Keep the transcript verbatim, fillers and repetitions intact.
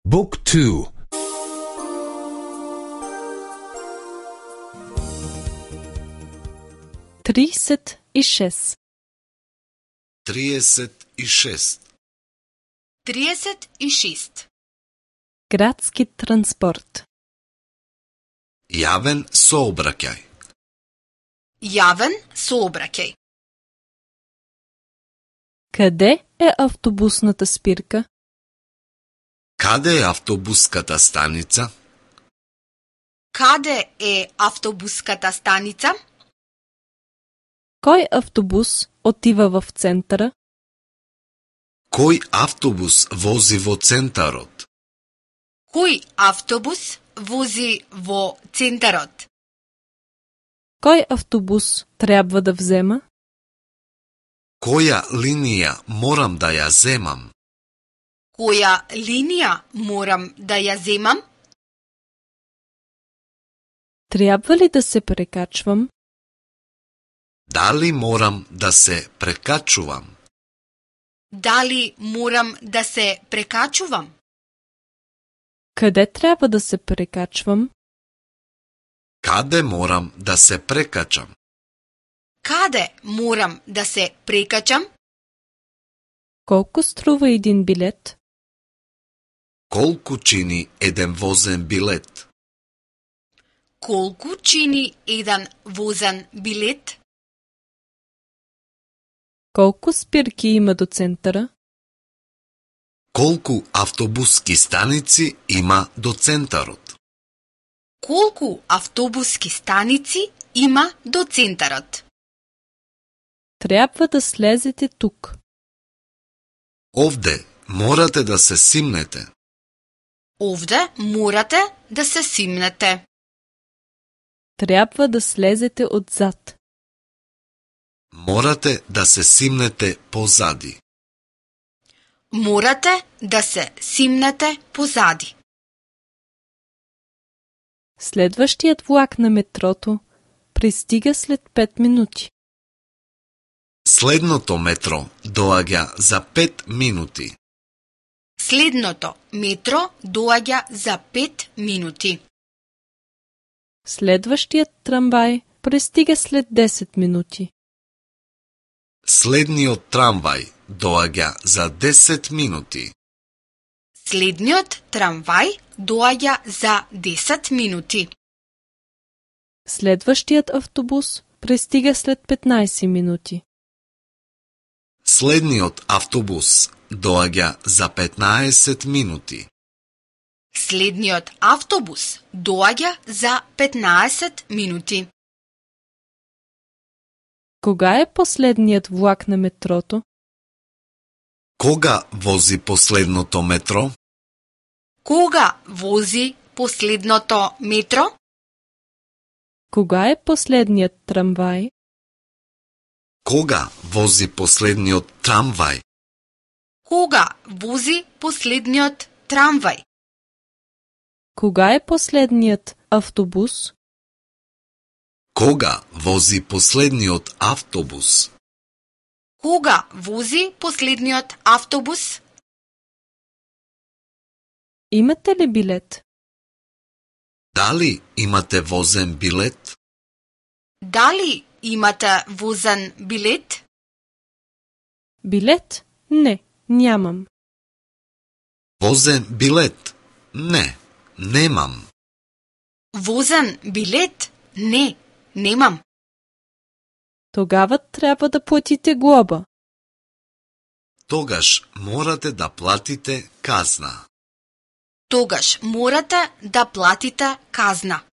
Book two. тридесет и шест. триесет и шест. триесет и шест. Градски транспорт. Јавен сообраќај. Јавен сообраќај. Къде е автобусната спирка? Каде е автобуската станица? Каде е автобуската станица? Кој автобус отива в центъра? Кој автобус вози во центарот? Кој автобус вози во центарот? Кој автобус трябва да взема? Која линија морам да ја земам? Која линија морам да ја земам? Трябва ли да се прекачвам? Дали морам да се прекачувам? Дали морам да се прекачувам? Къде трябва да се прекачвам? Каде морам да се прекачам? Каде морам да се прекачам? Колко струва един билет? Колку чини еден возен билет? Колку чини еден возен билет? Колко спирки има до центъра? Колку автобуски станици има до центарот? Колку автобуски станици има до центарот? Трябва да слезете тук. Овде морате да се симнете. Овде морате да се симнете. Трябва да слезете отзад. Морате да се симнете позади. Морате да се симнете позади. Следващият влак на метрото пристига след пет минути. Следното метро доаѓа за пет минути. Следното метро доаѓа за пет минути. Следващият трамвай пристига след десет минути. Следниот трамвај доаѓа за десет минути. Следниот трамвај доаѓа за десет минути. Следващият автобус пристига след петнайсет минути. Следниот автобус доаѓа за петнаесет минути. Следниот автобус доаѓа за петнаесет минути. Кога е последният влак на метрото? Кога вози последното метро? Кога вози последното метро? Кога е последният трамвай? Кога вози последниот трамвај? Кога вози последниот трамвај? Кога е последният автобус? Кога вози последниот автобус? Кога вози последниот автобус? Имате ли билет? Дали имате возен билет? Дали имате возен билет? Билет? Не, нямам. Возен билет? Не, немам. Возен билет? Не, немам. Тогава трябва да платите глоба. Тогаш морате да платите казна. Тогаш морате да платите казна.